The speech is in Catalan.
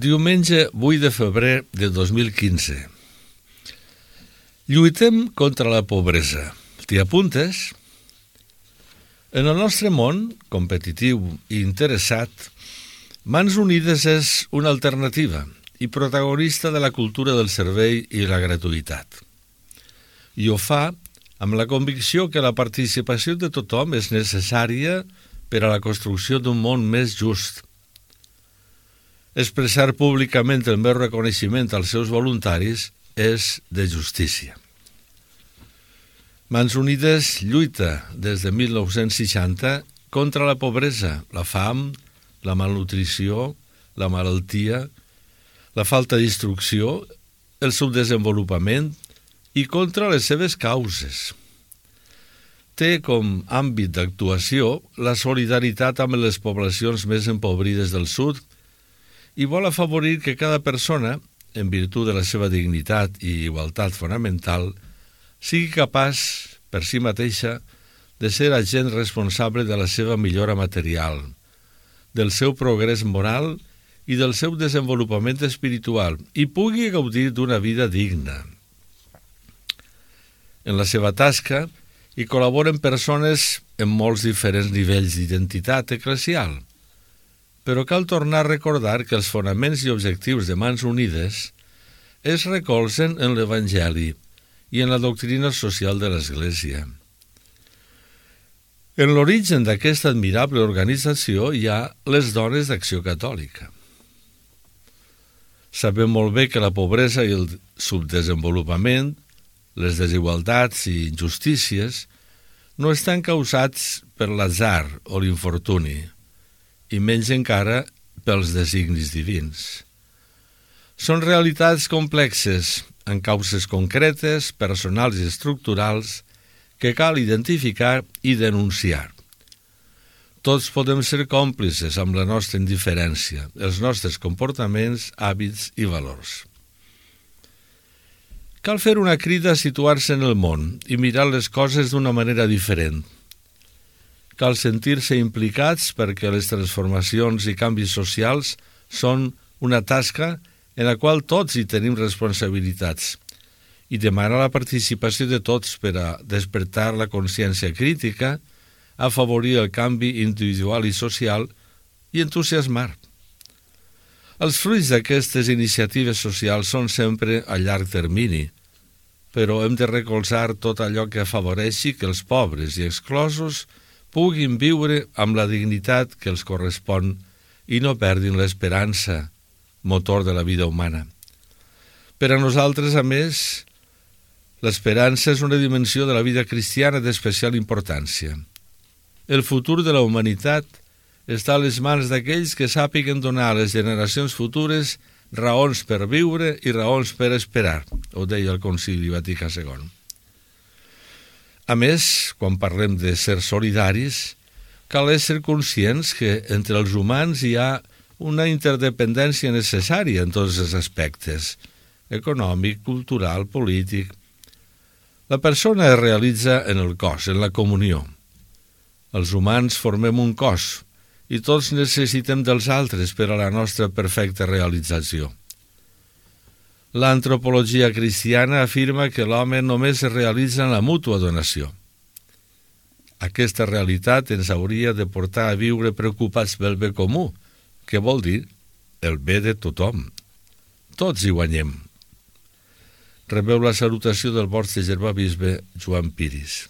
Diumenge 8 de febrer de 2015. Lluitem contra la pobresa. T'hi apuntes? En el nostre món, competitiu i interessat, Mans Unides és una alternativa i protagonista de la cultura del servei i la gratuïtat. I ho fa amb la convicció que la participació de tothom és necessària per a la construcció d'un món més just. Expressar públicament el meu reconeixement als seus voluntaris és de justícia. Mans Unides lluita des de 1960 contra la pobresa, la fam, la malnutrició, la malaltia, la falta d'instrucció, el subdesenvolupament i contra les seves causes. Té com àmbit d'actuació la solidaritat amb les poblacions més empobrides del sud i vol afavorir que cada persona, en virtut de la seva dignitat i igualtat fonamental, sigui capaç, per si mateixa, de ser agent responsable de la seva millora material, del seu progrés moral i del seu desenvolupament espiritual i pugui gaudir d'una vida digna. En la seva tasca hi col·laboren persones en molts diferents nivells d'identitat eclesial, però cal tornar a recordar que els fonaments i objectius de Mans Unides es recolzen en l'Evangeli i en la doctrina social de l'Església. En l'origen d'aquesta admirable organització hi ha les dones d'Acció Catòlica. Sabem molt bé que la pobresa i el subdesenvolupament, les desigualtats i injustícies no estan causats per l'atzar o l'infortuni, i menys encara pels designis divins. Són realitats complexes, amb causes concretes, personals i estructurals, que cal identificar i denunciar. Tots podem ser còmplices amb la nostra indiferència, els nostres comportaments, hàbits i valors. Cal fer una crida a situar-se en el món i mirar les coses d'una manera diferent. Cal sentir-se implicats perquè les transformacions i canvis socials són una tasca en la qual tots hi tenim responsabilitats i demanar la participació de tots per a despertar la consciència crítica, afavorir el canvi individual i social i entusiasmar. Els fruits d'aquestes iniciatives socials són sempre a llarg termini, però hem de recolzar tot allò que afavoreixi que els pobres i exclosos puguin viure amb la dignitat que els correspon i no perdin l'esperança, motor de la vida humana. Per a nosaltres, a més, l'esperança és una dimensió de la vida cristiana d'especial importància. El futur de la humanitat està a les mans d'aquells que sàpiguen donar a les generacions futures raons per viure i raons per esperar, ho deia el Concili Vaticà II. A més, quan parlem de ser solidaris, cal ésser conscients que entre els humans hi ha una interdependència necessària en tots els aspectes, econòmic, cultural, polític. La persona es realitza en el cos, en la comunió. Els humans formem un cos i tots necessitem dels altres per a la nostra perfecta realització. L'antropologia cristiana afirma que l'home només es realitza en la mútua donació. Aquesta realitat ens hauria de portar a viure preocupats pel bé comú, que vol dir el bé de tothom. Tots hi guanyem. Rebeu la salutació del vostre germà bisbe Joan Piris.